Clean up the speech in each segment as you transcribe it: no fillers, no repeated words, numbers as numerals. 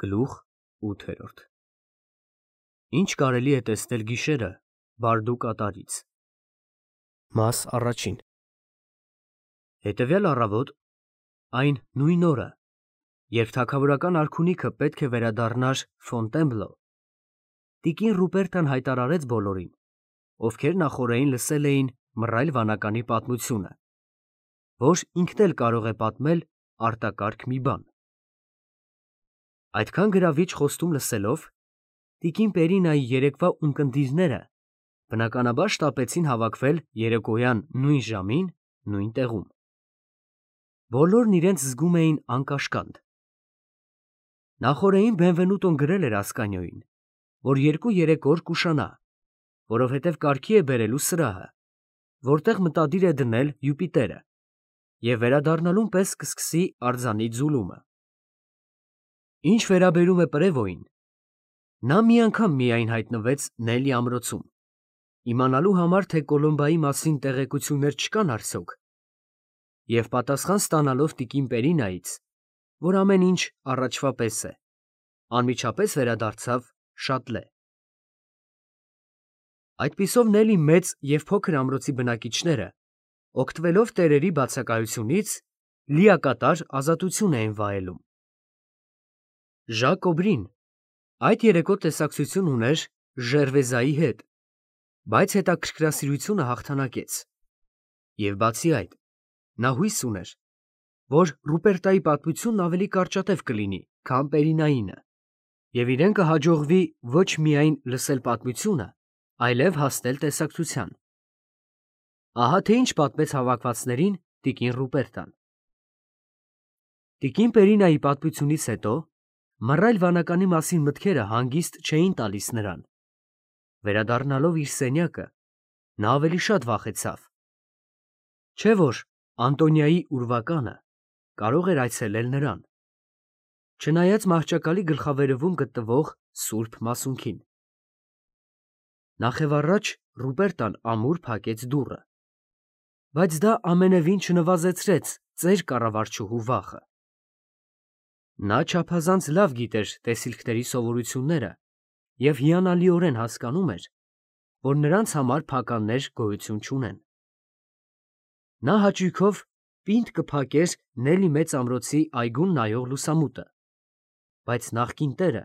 Գլուխ 8 Ինչ կարելի է տեսնել գիշերը Բարդու կատարից։ Մաս առաջին Հետևյալ առավոտ, այն նույն օրը, երբ թագավորական արքունիքը պետք է վերադառնար Ֆոնտենբլո, տիկին Ռուպերտան հայտարարեց բոլորին, ովքեր նախօրեին լսել էին մռայլ վանականի պատմությունը, որ ինքն էլ կարող է պատմել արտակարգ մի բան։ Այդքան գրավիչ խոստում լսելով, տիկին Պերինայի երեկվա ունկնդիրները բնականաբար շտապեցին հավաքվել երեկոյան նույն ժամին, նույն տեղում։ Բոլորն իրենց զգում էին անկաշկանդ։ Նախօրեին Բենվենուտոն գրել էր Ասկանիոյին, որ 2-3 օր կուշանա, որովհետև կարգի է բերելու սրահը, որտեղ մտադիր է դնել Յուպիտերը, և վերադառնալուն պես կսկսի արձանի ձուլումը։ Ինչ վերաբերում է Պրևոյին, նա մի անգամ միայն հայտնվեց Նելի ամրոցում, իմանալու համար, թե Կոլոմբայի մասին տեղեկություններ չկան արդյոք, և պատասխան ստանալով տիկին Պերինայից, որ ամեն ինչ առաջվա պես է, անմիջապես վերադարձավ Շատլե։ Այդպիսով Նելի մեծ և փոքր ամրոցի բնակիչները, օգտվելով տերերի բացակայությունից, լիակատար ազատություն էին վայելում։ Ժակ Օբրին այդ երեկո տեսակցություն ուներ Ժերվեզայի հետ, բայց հետաքրքրասիրությունը հաղթանակեց, և բացի այդ, նա հույս ուներ, որ Ռուպերտայի պատմությունն ավելի կարճատև կլինի, քան Պերինայինը, և իրեն կհաջողվի ոչ միայն լսել պատմությունը, այլև հասնել տեսակցության։ Ահա թե ինչ պատմեց հավաքվածներին տիկին Ռուպերտան։ Տիկին Պերինայի պատմությունից հետո մռայլ վանականի մասին մտքերը հանգիստ չէին տալիս նրան։ Վերադառնալով իր սենյակը, նա ավելի շատ վախեցավ։ Չէ՞ որ Անտոնիայի ուրվականը կարող էր այցելել նրան, չնայած մահճակալի գլխավերևում գտնվող սուրբ մասունքին։ Նախևառաջ Ռուպերտան ամուր փակեց դուռը, բայց դա ամենևին չնվազեցրեց ծեր կառավարչուհու վախը։ Նա չափազանց լավ գիտեր տեսիլքների սովորությունները և հիանալիորեն հասկանում էր, որ նրանց համար փականներ գոյություն չունեն։ Նա հաճույքով պինդ կփակեր Նելի մեծ ամրոցի այգուն նայող լուսամուտը, բայց նախկին տերը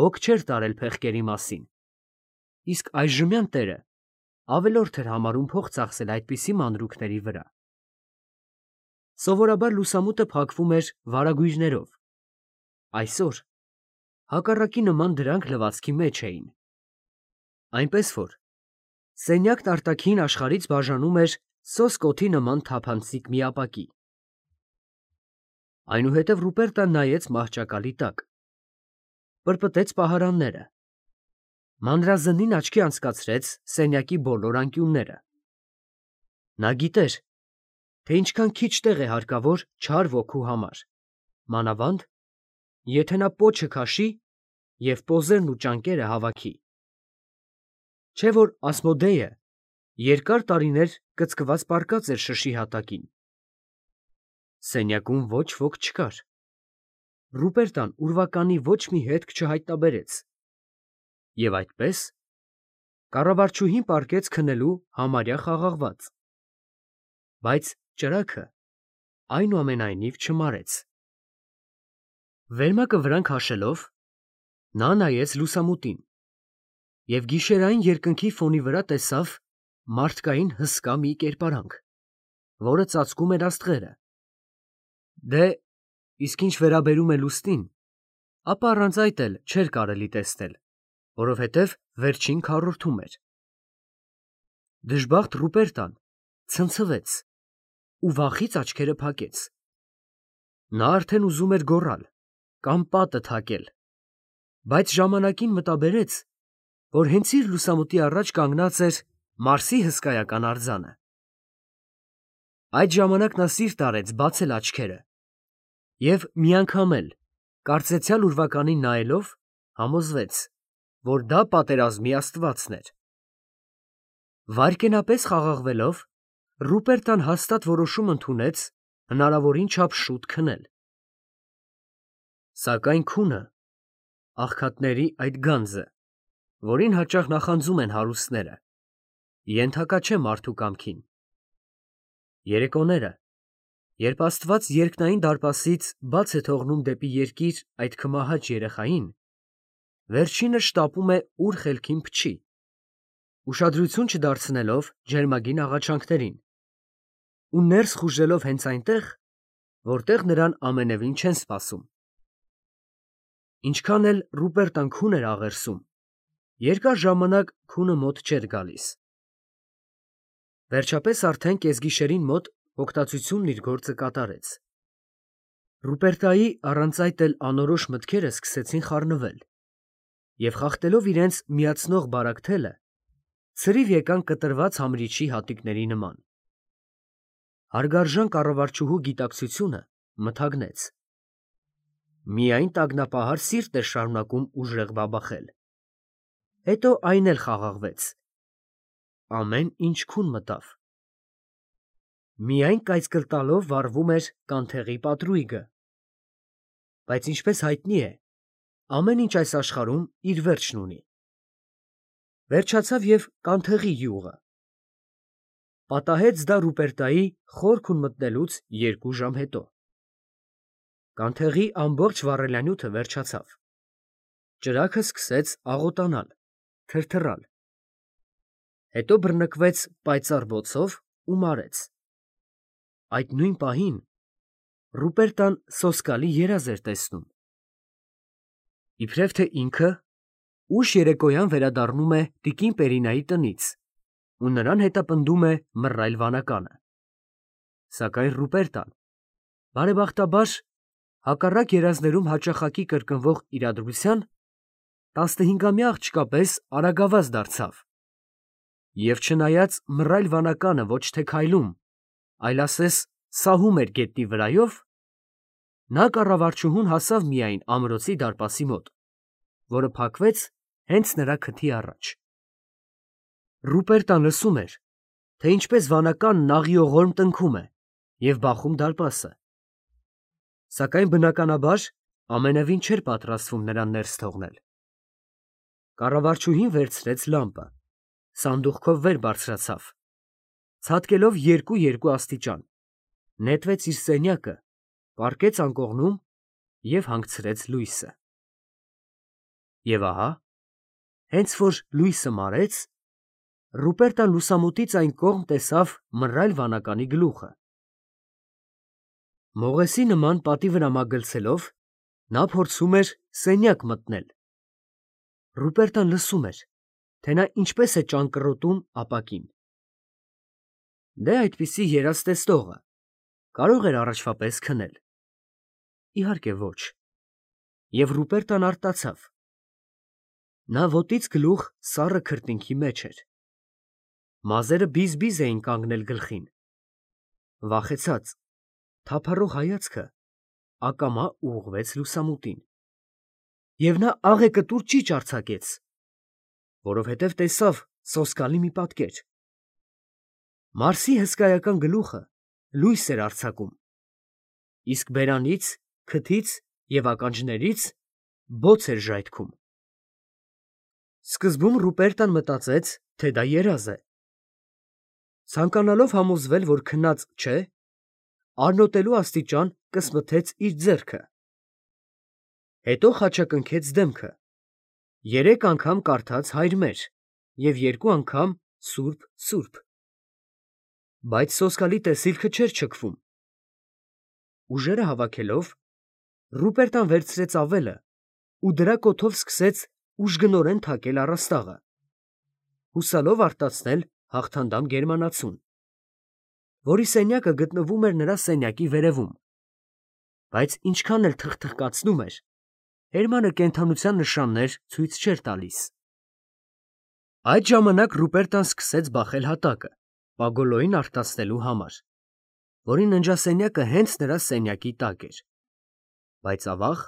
հոգ չէր տարել փեղկերի մասին, իսկ այժմյան տերը ավելորդ էր համարում փող ծախսել այդպիսի մանրուքների վրա։ Սովորաբար լուսամուտը փակվում էր վարագույրներով, այսօր հակառակի նման դրանք լվացքի մեջ էին, այնպես որ սենյակն արտաքին աշխարհից բաժանում էր սոսկոթի նման թափանցիկ մի ապակի։ Այնուհետև Ռուպերտան նայեց մահճակալի տակ, պրպտեց պահարանները, մանրազնին աչքի անցկացրեց սենյակի բոլոր անկյունները։ Նա գիտեր, թե ինչքան քիչ տեղ է հարկավոր չար ոգու համար, մանավանդ, եթե նա պոչը քաշի և պոզերն ու ճանկերը հավաքի։ Չէ՞ որ Ասմոդեյը երկար տարիներ կծկված պառկած էր շշի հատակին։ Սենյակում ոչ ոք չկար։ Ռուպերտան ուրվականի ոչ մի հետք չհայտնաբերեց, և այդպես կառավարչուհին պառկեց քնելու համարյա խաղաղված, բայց ճրագը այնուամենայնիվ չմարեց։ Վերմակը վրան քաշելով, նա նայեց լուսամուտին և գիշերային երկնքի ֆոնի վրա տեսավ մարդկային հսկա մի կերպարանք, որը ծածկում էր աստղերը։ Դե, իսկ ինչ վերաբերում է լուսնին, ապա առանց այդ էլ չէր կարելի տեսնել, որովհետև վերջին քառորդում էր։ Դժբախտ Ռուպերտան ցնցվեց ու վախից աչքերը փակեց։ Նա արդեն ուզում էր գոռալ կամ պատը թակել, բայց ժամանակին մտաբերեց, որ հենց իր լուսամուտի առաջ կանգնած էր Մարսի հսկայական արձանը։ Այդ ժամանակ նա սիրտ արեց բացել աչքերը և մի անգամ էլ, կարծեցյալ ուրվականին նայելով, համոզվեց, որ դա պատերազմի աստվածն էր։ Վայրկենապես խաղաղվելով, Ռուպերտան հաստատ որոշում ընդունեց հնարավորին չափ շուտ քնել։ Սակայն քունը աղքատների այդ գանձը, որին հաճախ նախանձում են հարուստները, ենթակա չէ մարդու կամքին։ Երեկոները, երբ Աստված երկնային դարպասից բաց է թողնում դեպի երկիր այդ քմահաճ երեխային, վերջինը շտապում է ուր խելքին փչի, ուշադրություն չդարձնելով ջերմագին աղաչանքներին, ու ներս խուժելով հենց այնտեղ, որտեղ նրան ամենևին չեն սպասում։ Ինչքան էլ Ռուպերտան քուն էր աղերսում, երկար ժամանակ քունը մոտ չէր գալիս։ Վերջապես արդեն կեսգիշերին մոտ հոգտացությունն իր գործը կատարեց։ Ռուպերտայի առանց այդ էլ անորոշ մտքերը սկսեցին խառնվել, և խախտելով իրենց միացնող բարակ թելը, ցրիվ եկան կտրված համրիչի հատիկների նման։ Հարգարժան կառավարչուհու գիտակցությունը մթագնեց։ Միայն տագնապահար սիրտ էր շարունակում ուժեղ բաբախել։ Հետո այն էլ խաղաղվեց։ Ամեն ինչ քուն մտավ։ Միայն կայծկլ տալով վառվում էր կանթեղի պատրույգը։ Բայց ինչպես հայտնի է, ամեն ինչ այս աշխարհում իր վերջն ունի։ Վերջացավ և կանթեղի յուղը։ Պատահեց դա Ռուպերտայի խորքուն մտնելուց 2 ժամ հետո։ Կանթեղի ամբողջ վառելանյութը վերջացավ։ Ճրագը սկսեց աղոտանալ, թրթռալ։ Հետո բռնկվեց պայծառ բոցով ու մարեց։ Այդ նույն պահին Ռուպերտան սոսկալի երազ էր տեսնում։ Իբրև թե ինքը ուշ երեկոյան վերադառնում է տիկին Պերինայի տնից ու նրան հետապնդում է մռայլ վանականը։ Սակայն Ռուպերտան, բարեբախտաբար, հակառակ երազներում հաճախակի կրկնվող իրադրության, 15-ամյա աղջկա պես արագավազ դարձավ, և չնայած մռայլ վանականը ոչ թե քայլում, այլ ասես սահում էր գետնի վրայով, նա կառավարչուհուն հասավ միայն ամրոցի դարպասի մոտ, որը փակվեց հենց նրա քթի առաջ։ Ռուպերտան լսում էր, թե ինչպես վանականն աղիողորմ տնքում է և բախում դարպասը, սակայն բնականաբար ամենևին չէր պատրաստվում նրան ներս թողնել։ Կառավարչուհին վերցրեց լամպը, սանդուղքով վեր բարձրացավ, ցատկելով երկու աստիճան, նետվեց իր սենյակը, պառկեց անկողնում և հանգցրեց լույսը։ Եվ ահա, հենց որ լույսը մարեց, Ռուպերտան լուսամուտից այն կողմ տեսավ մռայլ վանականի գլուխը։ Մողեսի նման պատի վրա մագլցելով, նա փորձում էր սենյակ մտնել։ Ռուպերտան լսում էր, թե նա ինչպես է ճանկռոտում ապակին։ Դե այդպիսի երազ տեսնողը կարող էր առաջվա պես քնել։ Իհարկե ոչ։ Եվ Ռուպերտան արտացավ։ Նա ոտից գլուխ սառը քրտինքի մեջ էր։ Մազերը բիզ-բիզ էին կանգնել գլխին։ Վախեցած, թափառող հայացքը ակամա ուղղվեց լուսամուտին։ Եվ նա աղեկտուր ճիչ արձակեց, որովհետև տեսավ սոսկալի մի պատկեր։ Մարսի հսկայական գլուխը լույս էր արձակում, իսկ բերանից, քթից և ականջներից բոց էր ժայթքում։ Սկզբում Ռուպերտան մտածեց, թե դա երազ է։ Ցանկանալով համոզվել, որ քնած չէ, արնոտելու աստիճան կսմթեց իր ձեռքը։ Հետո խաչակնքեց դեմքը, 3 անգամ կարդաց «Հայր մեր» և 2 անգամ «Սուրբ, Սուրբ»։ Բայց սոսկալի տեսիլքը չէր չքվում։ Ուժերը հավաքելով, Ռուպերտան վերցրեց ավելը ու դրա կոթով սկսեց ուժգնորեն թակել առաստաղը, հուսալով արտացնել հաղթանդամ գերմանացուն, որի սենյակը գտնվում էր նրա սենյակի վերևում, բայց ինչքան էլ թխթխկացնում էր, Հերմանը կենդանության նշաններ ցույց չէր տալիս։ Այդ ժամանակ Ռուպերտան սկսեց բախել հատակը, Պագոլոյին արտացնելու համար, որի ննջասենյակը հենց նրա սենյակի տակ էր։ Բայց ավաղ,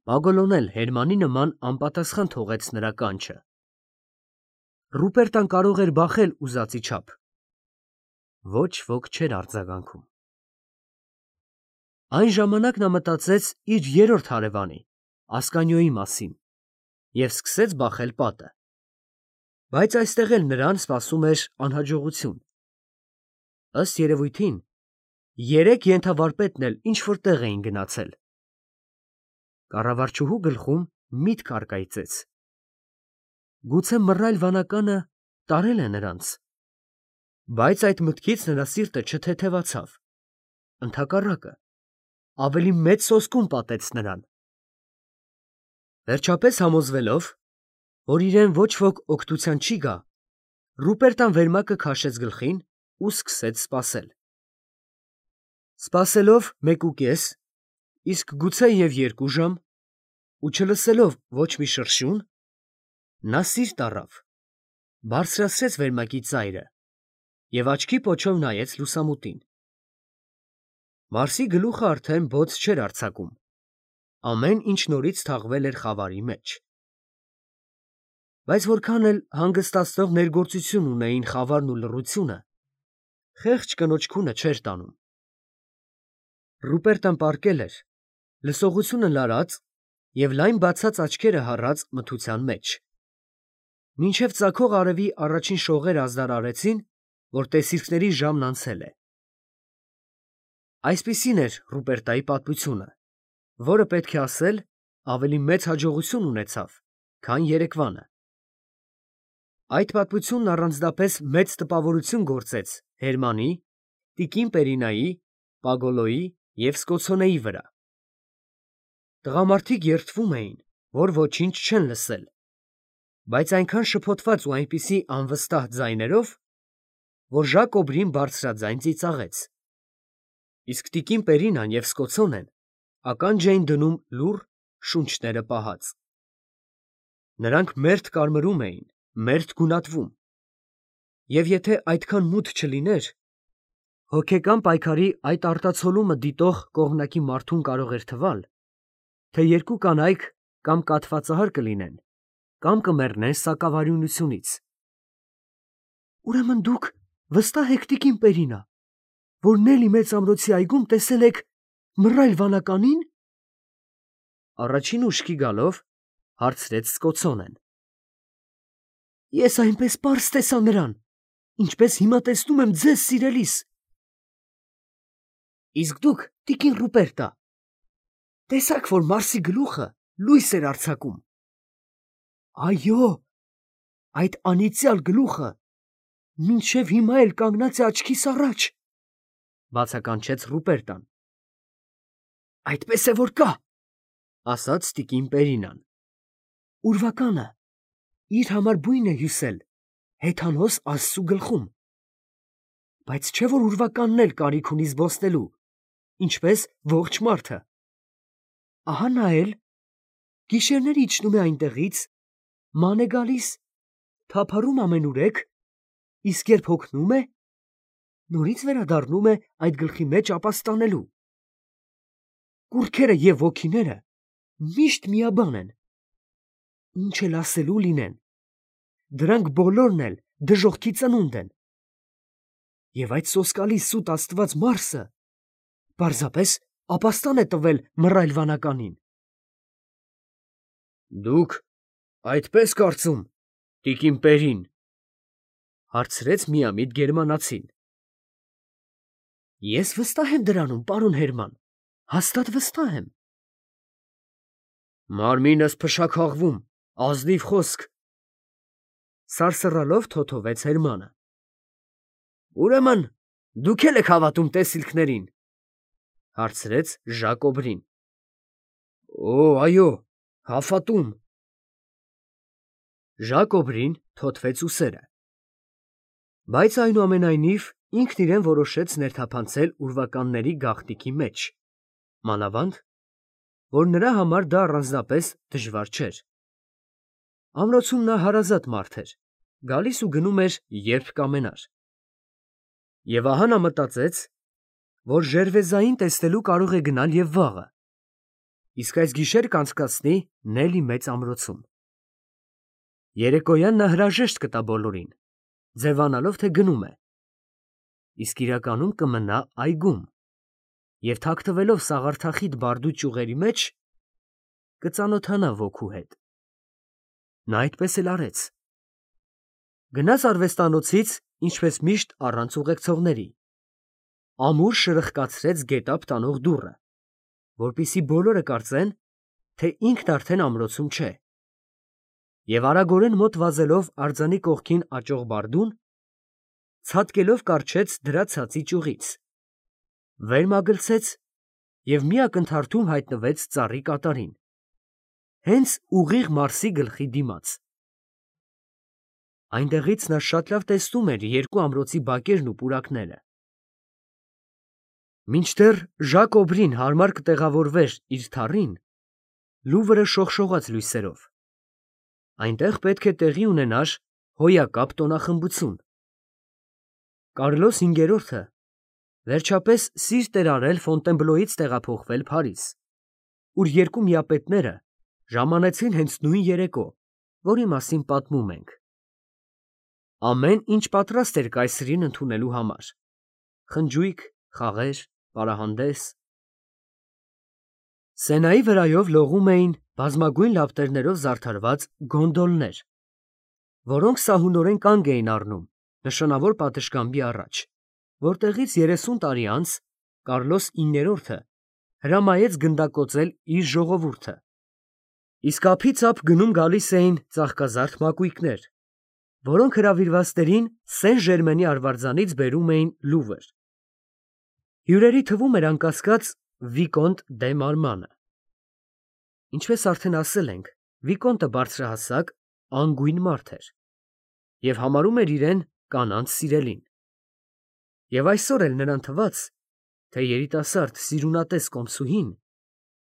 Պագոլոն էլ Հերմանի նման անպատասխան թողեց նրա կանչը։ Ռուպերտան կարող էր բախել ուզածի չափ։ Ոչ ոք չէր արձագանքում։ Այն ժամանակ նա մտածեց իր երրորդ հարևանի՝ Ասկանիոյի մասին, և սկսեց բախել պատը։ Բայց այստեղ էլ նրան սպասում էր անհաջողություն։ Ըստ երևույթին, երեք ենթավարպետն էլ ինչ-որ տեղ էին գնացել։ Կառավարչուհու գլխում միտք առկայծեց. գուցե մռայլ վանականը տարել է նրանց։ Բայց այդ մտքից նրա սիրտը չթեթևացավ, ընդհակառակը, ավելի մեծ սոսկում պատեց նրան։ Վերջապես համոզվելով, որ իրեն ոչ ոք օգնության չի գա, Ռուպերտան վերմակը քաշեց գլխին ու սկսեց սպասել։ Սպասելով 1.5, իսկ գուցե և 2 ժամ, ու չլսելով ոչ մի շրշյուն, նա սիրտ առավ, բարձրացրեց վերմակի ծայրը և աչքի պոչով նայեց լուսամուտին։ Մարսի գլուխը արդեն բոց չէր արձակում, ամեն ինչ նորից թաղվել էր խավարի մեջ։ Բայց որքան էլ հանգստացնող ներգործություն ունեին խավարն ու լռությունը, խեղճ կնոջ քունը չէր տանում։ Ռուպերտն պառկել էր, լսողությունը լարած և լայն բացած աչքերը հառած մթության մեջ, մինչև ծագող արևի առաջին շողերը ազդարարեցին, որ տեսիլքների ժամն անցել է։ Այսպիսին էր Ռուպերտայի պատմությունը, որը, պետք է ասել, ավելի մեծ հաջողություն ունեցավ, քան երեկվանը։ Այդ պատմությունն առանձնապես մեծ տպավորություն գործեց Հերմանի, տիկին Պերինայի, Պագոլոյի և Սկոցոնեի վրա։ Տղամարդիկ երդվում էին, որ ոչինչ չեն լսել, բայց այնքան շփոթված ու այնպիսի անվստահ ձայներով, որ Ժակոբրին բարձրաձայն ծիծաղեց, իսկ տիկին Պերինան և Սկոցոնեն ականջ էին դնում լուռ, շունչները պահած։ Նրանք մերթ կարմրում էին, մերթ գունատվում, և եթե այդքան մութ չլիներ, հոգեկան պայքարի այդ արտացոլումը դիտող կողմնակի մարդուն կարող էր թվալ, թե երկու կանայք կամ կաթվածահար կլինեն, կամ կմեռնեն սակավարյունությունից։ Ուրեմն դուք վստահ եք, տիկին Պերինա, որ Նելի մեծամրոցի այգում տեսել եք մռայլ վանականի՞ն։ Առաջին ուշքի գալով հարցրեց Սկոցոնեն։ Ես այնպես պարզ տեսա նրան, ինչպես հիմա տեսնում եմ ձեզ, սիրելիս։ Իսկ դուք, տիկին Ռուպերտա, տեսաք, որ Մարսի գլուխը լույս էր արձակում։ Այո, այդ անիծյալ գլուխը մինչև հիմա էլ կանգնած է աչքիս առաջ, բացականչեց Ռուպերտան։ Այդպես է որ կա, ասաց տիկին Պերինան։ Ուրվականը իր համար բույն է հյուսել հեթանոս Աստծու գլխում։ Բայց չէ որ ուրվականն էլ կարիք ունի զբոսնելու, ինչպես ողջ մարդը։ Ահա նա էլ գիշերներ իջնում է այնտեղից, ման է գալիս, թափառում ամենուրեք, իսկ երբ հոգնում է, նորից վերադառնում է այդ գլխի մեջ ապաստանելու։ Կուռքերը և ոգիները միշտ միաբան են։ Ինչ էլ ասելու լինեն, դրանք բոլորն էլ դժոխքի ծնունդ են։ Եվ այդ սոսկալի սուտ աստված Մարսը պարզապես ապաստան է տվել մռայլ վանականին։ Դուք այդպես կարծում, տիկին Պերին, հարցրեց միամիտ գերմանացին։ Ես վստահ եմ դրանում, պարոն Հերման, հաստատ վստահ եմ։ Մարմինս փշաքաղվում, ազնիվ խոսք, սարսռալով թոթվեց Հերմանը։ Ուրեմն դուք էլ եք հավատում տեսիլքներին, հարցրեց Ժակոբրին։ Օ, այո, հավատում։ Ժակոբրին թոթվեց ուսերը։ Բայց այնուամենայնիվ ինքն իրեն որոշեց ներթափանցել ուրվականների գաղտնիքի մեջ, մանավանդ, որ նրա համար դա առանձնապես դժվար չէր։ Ամրոցում նա հարազատ մարդ էր, գալիս ու գնում էր, երբ կամենար։ Եվ ահա նա մտածեց, որ Ժերվեզային տեսնելու կարող է գնալ և վաղը, իսկ այս գիշեր կանցկացնի Նելի մեծ ամրոցում։ Երեկոյան նա հրաժեշտ կտա բոլորին, ձևանալով, թե գնում է, իսկ իրականում կմնա այգում և թաքնվելով սաղարթախիտ բարդու ճյուղերի մեջ կծանոթանա ոգու հետ։ Նա այդպես էլ արեց։ Գնաց արվեստանոցից, ինչպես միշտ առանց ուղեկցողների։ Ամուր շրխկացրեց գետափ տանող դուռը, որպեսզի բոլորը կարծեն, թե ինքն արդեն ամրոցում չէ։ Եվ արագորեն մոտ վազելով արձանի կողքին աճող բարդուն, ցատկելով կառչեց դրա ցածի ճյուղից, վեր մագլցեց և մի ակնթարթում հայտնվեց ծառի կատարին, հենց ուղիղ Մարսի գլխի դիմաց։ Այնտեղից նա շատ լավ տեսնում էր երկու ամրոցի բակերն ու պուրակները։ Մինչդեռ Ժակ Օբրին հարմար կտեղավորվեր իր թառին, Լուվրը շողշողաց լույսերով։ Այնտեղ պետք է տեղի ունենար հոյակապ տոնախմբություն։ Կարլոս V վերջապես սիրտ էր արել Ֆոնտենբլոյից տեղափոխվել Փարիզ, ուր երկու միապետները ժամանեցին հենց նույն երեկո, որի մասին պատմում ենք։ Ամեն ինչ պատրաստ էր կայսրին ընդունելու համար. խնջույք, խաղեր, պարահանդես։ Սենայի վրայով լողում էին բազմագույն լապտերներով զարդարված գոնդոլներ, որոնք սահունորեն կանգ էին առնում նշանավոր պատշգամբի առաջ, որտեղից 30 տարի անց Կարլոս IX հրամայեց գնդակոծել իր ժողովուրդը, իսկ ափից ափ գնում գալիս էին ծաղկազարդ մակույկներ, որոնք հրավիրվածներին Սեն Ժերմենի արվարձանից բերում էին Լուվր։ Հյուրերի թվում էր անկասկած Վիկոնտ դե Մարմանը։ Ինչպես արդեն ասել ենք, Վիկոնտը բարձրահասակ, անգույն մարդ էր և համարում էր իրեն կանանց սիրելին։ Եվ այսօր էլ նրան թվաց, թե երիտասարդ սիրունատես կոմսուհին,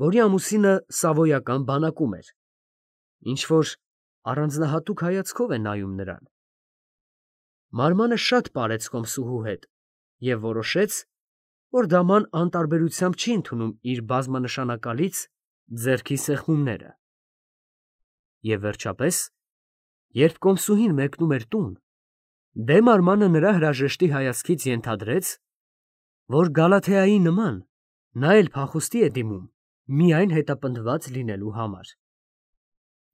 որի ամուսինը սավոյական բանակում էր, ինչ-որ առանձնահատուկ հայացքով է նայում նրան։ Մարմանը շատ պարեց կոմսուհու հետ և որոշեց, որ դաման անտարբերությամբ չի ընդունում իր բազմանշանակալից ձեռքի սեղմումները։ Եվ վերջապես, երբ կոմսուհին մեկնում էր տուն, դե Մարմանը նրա հրաժեշտի հայացքից ենթադրեց, որ Գալաթեայի նման նա էլ փախուստի է դիմում միայն հետապնդված լինելու համար։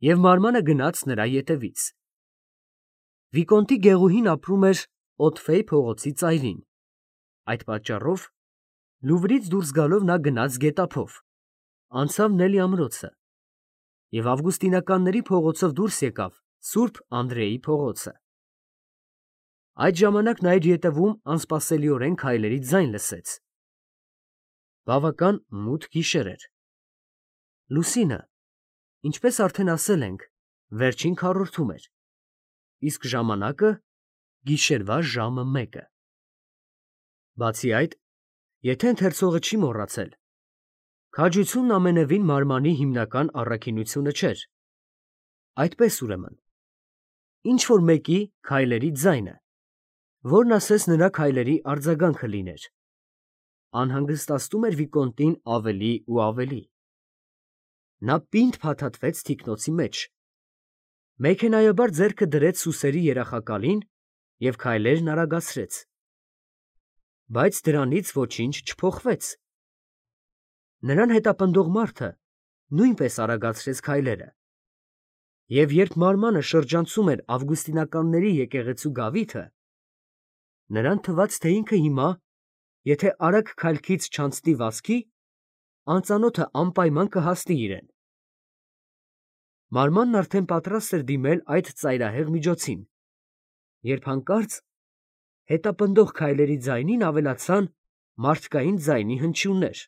Եվ Մարմանը գնաց նրա ետևից։ Վիկոնտի գեղուհին ապրում էր Օտֆեյ փողոցի ծայրին, այդ պատճառով Լուվրից դուրս գալով նա գնաց գետափով, անցավ Նելի ամրոցը և Ավգուստինականների փողոցով դուրս եկավ Սուրբ Անդրեի փողոցը։ Այդ ժամանակ նա իր ետևում անսպասելիորեն քայլերի ձայն լսեց։ Բավական մութ գիշեր էր։ Լուսինը, ինչպես արդեն ասել ենք, վերջին քառորդում էր, իսկ ժամանակը գիշերվա ժամը 1-ը։ Բացի այդ, եթե ընթերցողը չի մոռացել, քաջությունն ամենևին Մարմանի հիմնական առաքինությունը չէր։ Այդպես ուրեմն, ինչ-որ մեկի քայլերի ձայնը, որն ասես նրա քայլերի արձագանքը լիներ, անհանգստացնում էր Վիկոնտին ավելի ու ավելի։ Նա պինդ փաթաթվեց թիկնոցի մեջ, մեքենայաբար ձեռքը դրեց սուսերի երախակալին և քայլերն արագացրեց։ Բայց դրանից ոչինչ չփոխվեց։ Նրան հետապնդող մարդը նույնպես արագացրեց քայլերը, և երբ Մարմանը շրջանցում էր Ավգուստինականների եկեղեցու գավիթը, նրան թվաց, թե ինքը հիմա, եթե արագ քայլքից չանցնի վազքի, անծանոթը անպայման կհասնի իրեն։ Մարմանն արդեն պատրաստ էր դիմել այդ ծայրահեղ միջոցին, երբ հանկարծ հետապնդող քայլերի ձայնին ավելացան մարդկային ձայնի հնչյուններ։